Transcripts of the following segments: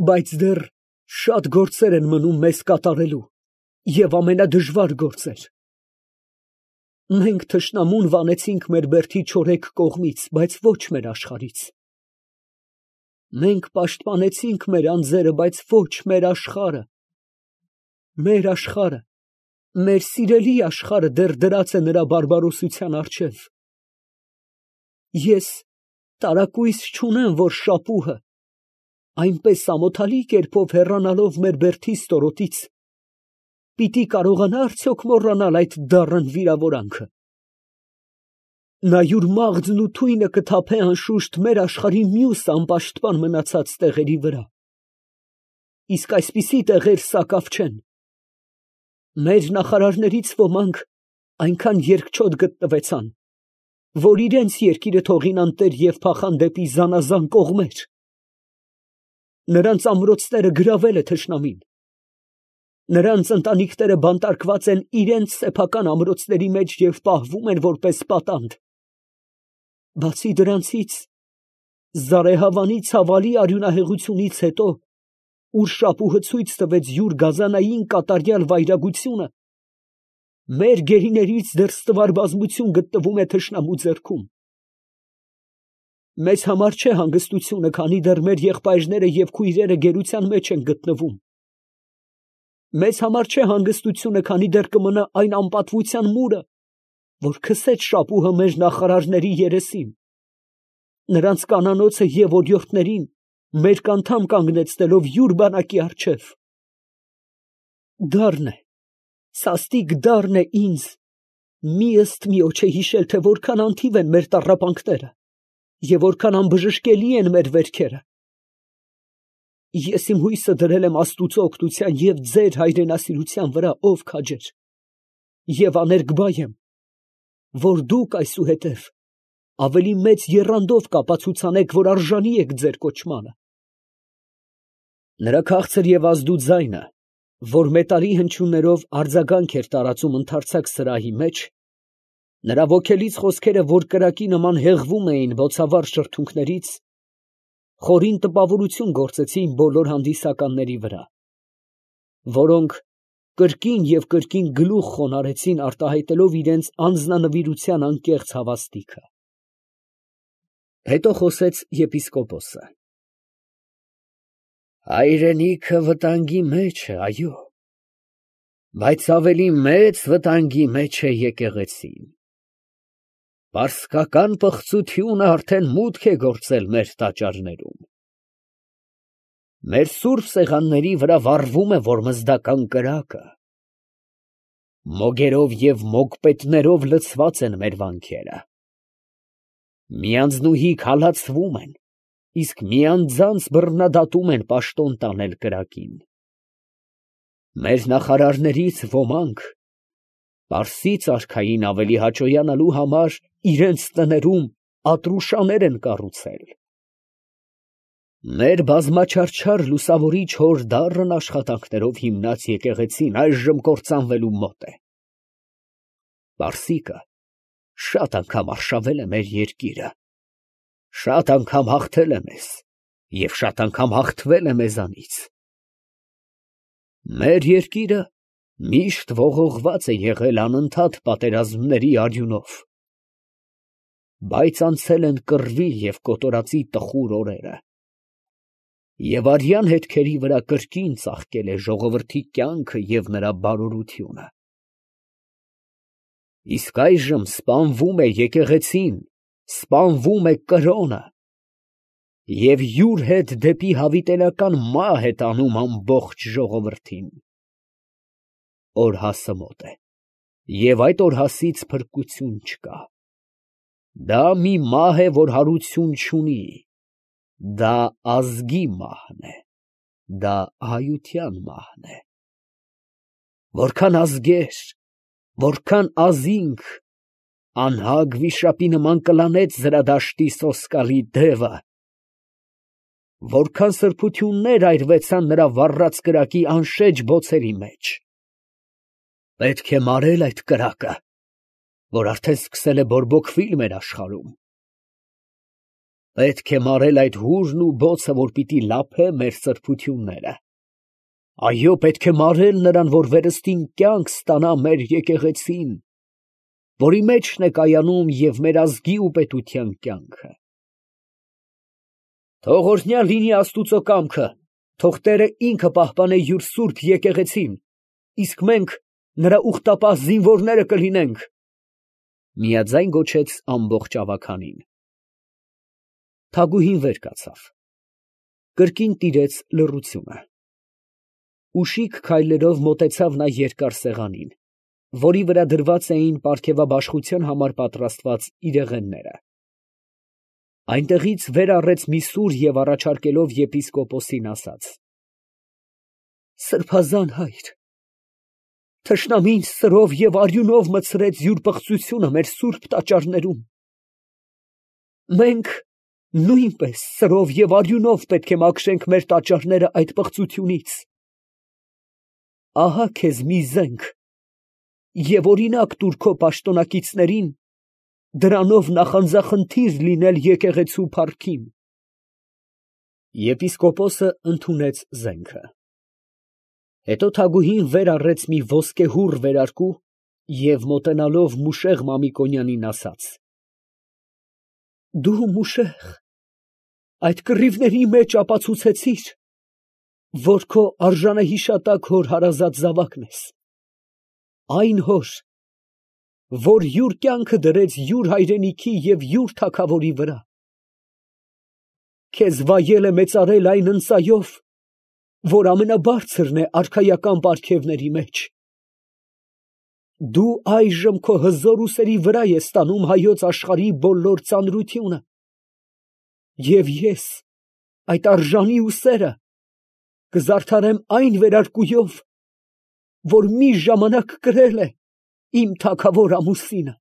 Բայց դեռ շատ գործեր են մնում մեզ կատարելու և ամենադժվար գործեր։ Մենք թշնամուն վանեցինք մեր բերդի չորեքք կողմից, բայց ոչ մեր աշխարհից։ Մենք պաշտպանեցինք մեր անձերը, բայց ոչ մեր աշխարհը։ Մեր աշխարհը, մեր սիրելի աշխարհը դեռ դրած է նրա բարբարոսության առջև։ Ես տարակույս չունեմ, որ շապուհը, այնպես ամոթալի կերպով հեռանալով մեր բերդի ստորոտից, պիտի կարողանա արդյոք մոռանալ այդ դառն վիրավորանքը։ Նա յուր մաղձն ու թույնը կթափե անշուշտ մեր աշխարհի մյուս անպաշտպան մնացած տեղերի վրա։ Իսկ այսպիսի տեղեր սակավ չեն։ Մեր նախարարներից ոմանք այնքան երկչոտ գտնվեցան, որ իրենց երկիրը թողին անտեր և փախան դեպի զանազան կողմեր։ Նրանց ամրոցները գրավել է թշնամին։ Նրանց ընտանիքները բանտարկված են իրենց սեփական ամրոցների մեջ և պահվում են որպես պատանդ։ Բացի դրանցից, Զարեհավանի ցավալի արյունահեղությունից հետո, ուր շապուհը ցույց տվեց յուր գազանային կատարյալ վայրագությունը, մեր գերիներից դեռ ստվար բազմություն գտնվում է թշնամու ձեռքում։ Մեզ համար չէ հանգստությունը, քանի դեռ մեր եղբայրները և քույրերը գերության մեջ են գտնվում։ Մեզ համար չէ հանգստությունը, քանի դեռ կմնա այն անպատվության մուրը, որ քսեց շապուհը մեր նախարարների երեսին, նրանց կանանոցը և օրիորդներին մեր անդամ կանգնեցնելով յուր բանակի առջև։ Դառն է, սաստիկ դառն է ինձ, մի ըստ միոչե հիշել, թե որքան անթիվ են մեր տառապանքները և որքան անբժշկելի են մեր վերքերը։ Ես իմ հույսը դրել եմ Աստուծո օգնության և ձեր հայրենասիրության վրա, ով քաջեր, և աներկբա եմ, որ դուք այսուհետև ավելի մեծ եռանդով կապացուցանեք, որ արժանի եք ձեր կոչմանը։ Նրա քաղցր և ազդու ձայնը, որ մետաղի հնչյուններով արձագանք էր տարածում ընդարձակ սրահի մեջ, նրա ոգելից խոսքերը, որ կրակի նման հեղվում էին բոցավառ շրթունքներից, խորին տպավորություն գործեցին բոլոր հանդիսականների վրա, որոնք կրկին և կրկին գլուխ խոնարհեցին արտահայտելով իրենց անձնանվիրության անկեղծ հավաստիքը։ Հետո խոսեց եպիսկոպոսը. Հայրենիքը վտանգի մեջ է, այո, բայց ավելի մեծ վտանգի մեջ է եկեղեցին։ Պարսկական պղծությունը արդեն մուտք է գործել մեր տաճարներում։ Մեր սուրբ սեղանների վրա վառվում է որմզդական կրակը։ Մոգերով և մոգպետներով լցված են մեր վանքերը։ Միանձնուհի քալացվում են, իսկ միանձանց բռնադատում են պաշտոն տանել կրակին։ Մեր նախարարներից ոմանք, Պարսից արքային ավելի հաճոյանալու համար, իրենց տներում ատրուշաներ են կառուցել։ Մեր բազմաչարչար լուսավորիչ հոր դառն աշխատանքներով հիմնած եկեղեցին այժմ կործանվելու մոտ է։ Պարսիկը շատ անգամ արշավել է մեր երկիրը, շատ անգամ հաղթել է մեզ և շատ անգամ հաղթվել է մեզանից։ Մեր երկիրը միշտ ողողված է եղել անընդհատ պատերազմների արյունով, բայց անցել են կռվի և կոտորածի տխուր օրերը, և արյան հետքերի վրա կրկին ծաղկել է ժողովրդի կյանքը և նրա բարօրությունը։ Իսկ այժմ սպանվում է եկեղեցին, սպանվում է կրոնը, և յուր հետ դեպի հավիտենական մահ է տանում ամբողջ ժողովրդին։ Օրհասը մոտ է, և այդ օրհասից փրկություն չկա։ Դա մի մահ է, որ հարություն չունի, դա ազգի մահն է, դա այության մահն է։ Որքան ազգեր, որքան ազինք, անհագ վիշապի նման կլանեց զրադաշտի սոսկալի դևը, որքան սրբություններ այրվեցան նրա վառած կրակի անշեջ բոցերի մեջ։ Պետք է մարել այդ կրակը, որ արդեն սկսել է բորբոքվիլ մեր աշխարհում։ Պետք է մարել այդ հուրն ու բոցը, որ պիտի լափե մեր սրբությունները։ Այո, պետք է մարել նրան, որ վերստին կյանք ստանա մեր եկեղեցին, որի մեջն է կայանում և մեր ազգի ու պետության կյանքը։ Թող օրհնյալ լինի Աստուծո կամքը, թող Տերը ինքը պահպանե յուր սուրբ եկեղեցին, իսկ մենք նրա ուխտապահ զինվորները կլինենք, ֊ միաձայն գոչեց ամբողջ ավագանին։ Թագուհին վեր կացավ, կրկին տիրեց լռությունը։ Ուշիկ քայլերով մոտեցավ նա երկար սեղանին, որի վրա դրված էին պարգևաբաշխության համար պատրաստված իրեղենները։ Այնտեղից վեր առեց մի սուր և առաջարկելով եպիսկոպոսին ասաց. «Սրբազան հայր, թշնամին սրով և արյունով մտցրեց յուր պղծությունը մեր սուրբ տաճարներում. մենք նույնպես սրով և արյունով պետք է մաքրենք մեր տաճարները այդ պղծությունից։ Ահա քեզ մի զենք և օրինակ տուր քո պաշտոնակիցներին դրանով նախանձախնդիր լինել եկեղեցու փառքին»։ Եպիսկոպոսը ընդունեց զենքը։ Հետո թագուհին վեր առեց մի ոսկեհուռ վերարկու և մոտենալով Մուշեղ Մամիկոնյանին ասաց. «Դու, Մուշեղ, այդ կռիվների մեջ ապացուցեցիր, որ քո արժանահիշատակ հոր հարազատ զավակն ես, այն հոր, որ յուր կյանքը դրեց յուր հայրենիքի և յուր թագավորի վրա։ Քեզ վայել է մեծարել այն ընծայով, որ ամենաբարձրն է արքայական պարգևների մեջ։ Դու այժմ քո հզոր ուսերի վրա ես տանում հայոց աշխարհի բոլոր ծանրությունը, և ես այդ արժանի ուսերը կզարդարեմ այն վերարկուով, որ մի ժամանակ կրել է իմ թագավոր ամուսինը»։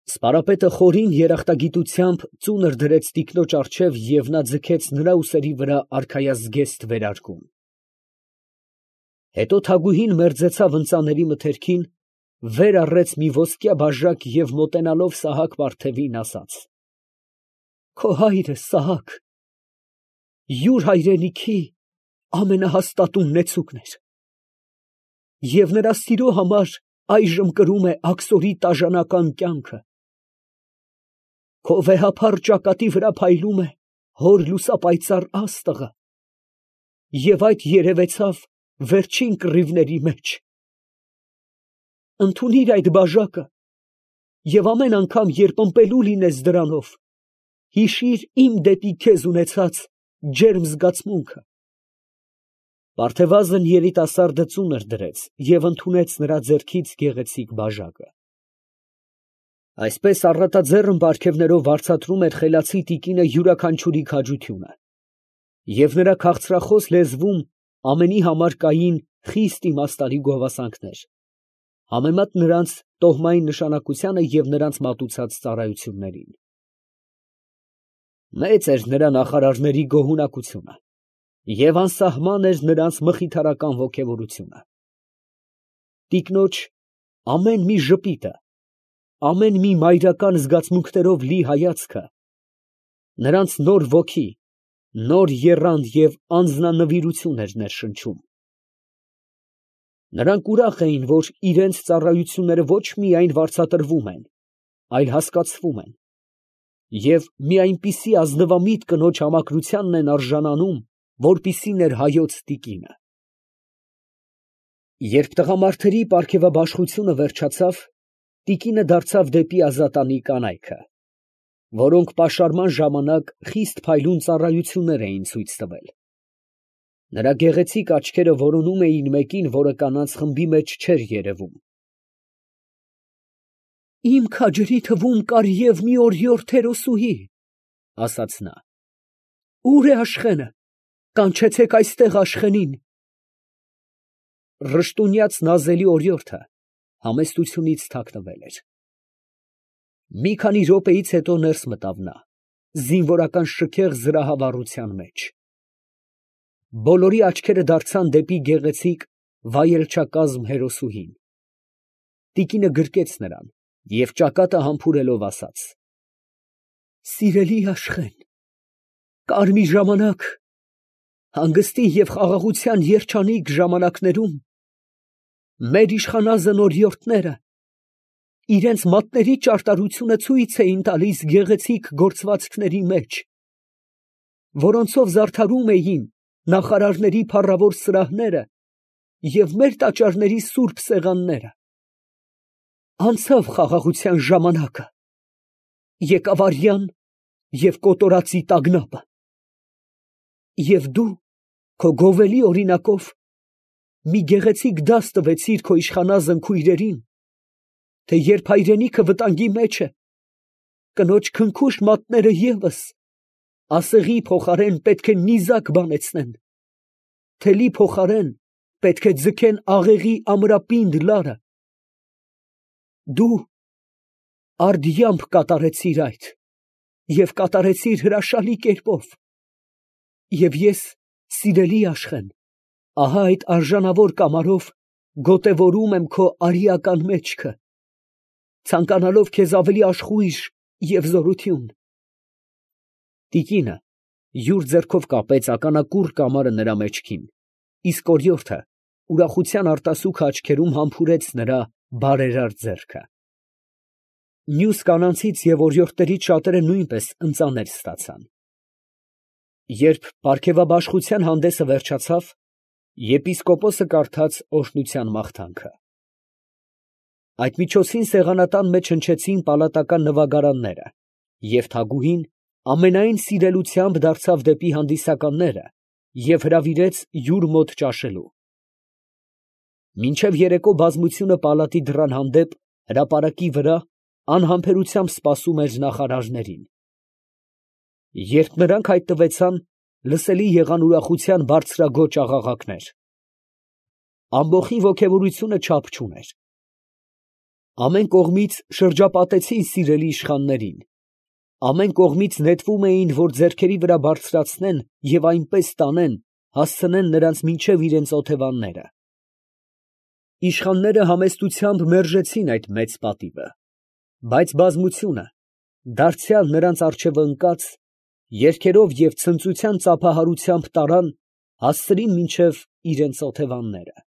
Սպարապետը խորին երախտագիտությամբ ծունր դրեց տիկնոջ առջև և նա ձգեց նրա ուսերի վրա արքայազգեստ վերարկուն։ Հետո թագուհին մերձեցավ ընծաների մթերքին, վեր առեց մի ոսկյա բաժակ և մոտենալով Սահակ պարթևին ասաց. «Քո հայրը Սահակ յուր հայրենիքի ամենահաստատուն նեցուկն էր, և նրա սիրո համար այժմ կրում է աքսորի տաժանական կյանքը։ Քո վեհափառ ճակատի վրա փայլում է հոր լուսապայծառ աստղը, և այդ երևեցավ վերջին կռիվների մեջ։ Ընդունիր այդ բաժակը և ամեն անգամ, երբ ըմպելու լինես դրանով, հիշիր իմ դեպի քեզ ունեցած ջերմ զգացմունքը»։ Վարդևազն երիտասարդը ծունր դրեց և ընդունեց նրա ձեռքից գեղեցիկ բաժակը։ Այսպես առատաձեռն պարգևներով վարձատրում էր խելացի տիկինը յուրաքանչյուրի քաջությունը, և նրա քաղցրախոս լեզվում ամենի համար կային խիստ իմաստալի գովասանքներ, համեմատ նրանց տոհմային նշանակությանը և նրանց մատուցած ծառայություններին։ Մեծ էր նրա նախարարների գոհունակությունը և անսահման էր նրանց մխիթարական ոգևորությունը։ Տիկնոջ ամեն մի ժպիտը, ամեն մի մայրական զգացմունքներով լի հայացքը նրանց նոր ոգի, նոր եռանդ և անձնանվիրություն էր ներշնչում։ Նրանք ուրախ էին, որ իրանց ծառայությունները ոչ միայն վարձատրվում են, այլ հասկացվում են, և մի այնպիսի ազնվամիտ կնոջ համակրությանն են արժանանում, որպիսին էր հայոց տիկինը։ Երբ տղամարդերի պարգևաբաշխությունը վերջացավ, տիկինը դարձավ դեպի ազատանի կանայքը, որոնք պաշարման ժամանակ խիստ փայլուն ծառայություններ էին ցույց տվել։ Նրա գեղեցիկ աչքերը որոնում էին մեկին, որը կանանց խմբի մեջ չէր երևում։ «Իմ քաջերի թվում կար և մի օրիորդ հերոսուհի, ֊ ասաց նա, ֊ ո՞ւր է Աշխենը, կանչեցեք այստեղ Աշխենին»։ Ռշտունյաց նազելի օրիորդը համեստությունից թաքնվել էր։ Մի քանի րոպեից հետո ներս մտավ նա, զինվորական շքեղ զրահավառության մեջ։ Բոլորի աչքերը դարձան դեպի գեղեցիկ վայելչակազմ հերոսուհին։ Տիկինը գրկեց նրան և ճակատը համբուրելով ասաց. Սիրելի Աշխեն, կար մի ժամանակ, հանգստի և խաղաղության երջանիկ ժամանակներում, մեր իշխանազն օրիորդները իրենց մատների ճարտարությունը ցույց էին տալիս գեղեցիկ գործվածքների մեջ, որոնցով զարդարում էին նախարարների փառավոր սրահները և մեր տաճարների սուրբ սեղանները։ Անցավ խաղաղության ժամանակը, եկավ արյան և կոտորածի տագնապը, և դու քո գովելի օրինակով մի գեղեցիկ դաս տվեցիր քո իշխանազն քույրերին, թե երբ հայրենիքը վտանգի մեջ է, կնոջ քնքուշ մատները ևս ասեղի փոխարեն պետք է նիզակ բանեցնեն, թելի փոխարեն պետք է ձգեն աղեղի ամրապինդ լարը։ Դու արդյամբ կատարեցիր այդ և կատարեցիր հրաշալի կերպով, և ես, սիրելի Աշխեն, ահա այդ արժանավոր կամարով գոտևորում եմ քո արիական մեջքը, ցանկանալով քեզ ավելի աշխույժ և զորություն։ Տիկինը յուր ձեռքով կապեց ականակուռ կամարը նրա մեջքին, իսկ օրիորդը ուրախության արտասուքը աչքերում համբուրեց նրա բարերար ձեռքը։ Մյուս կանանցից և օրիորդներից շատերը նույնպես ընծաներ ստացան։ Երբ պարգևաբաշխության հանդեսը վերջացավ, եպիսկոպոսը կարդաց օրհնության մաղթանքը։ Այդ միջոցին սեղանատան մեջ հնչեցին պալատական նվագարանները, և թագուհին ամենայն սիրելությամբ դարձավ դեպի հանդիսականները և հրավիրեց յուր մոտ ճաշելու։ Մինչև երեկո բազմությունը պալատի դռան հանդեպ հրապարակի վրա անհամբերությամբ սպասում էր նախարարներին։ Երբ նրանք հայտնվեցան, լսելի եղան ուրախության բարձրագոչ աղաղակներ։ Ամբոխի ոգևորությունը չափ չուներ։ Ամեն կողմից շրջապատեցին սիրելի իշխաններին, ամեն կողմից նետվում էին, որ ձեռքերի վրա բարձրացնեն և այնպես տանեն, հասցնեն նրանց մինչև իրենց օթևանները։ Իշխանները համեստությամբ մերժեցին այդ մեծ պատիվը, բայց բազմությունը, դարձյալ նրանց առջև ընկած, երգերով և ցնծության ծափահարությամբ տարան, հասցրին մինչև իրենց օթևանները։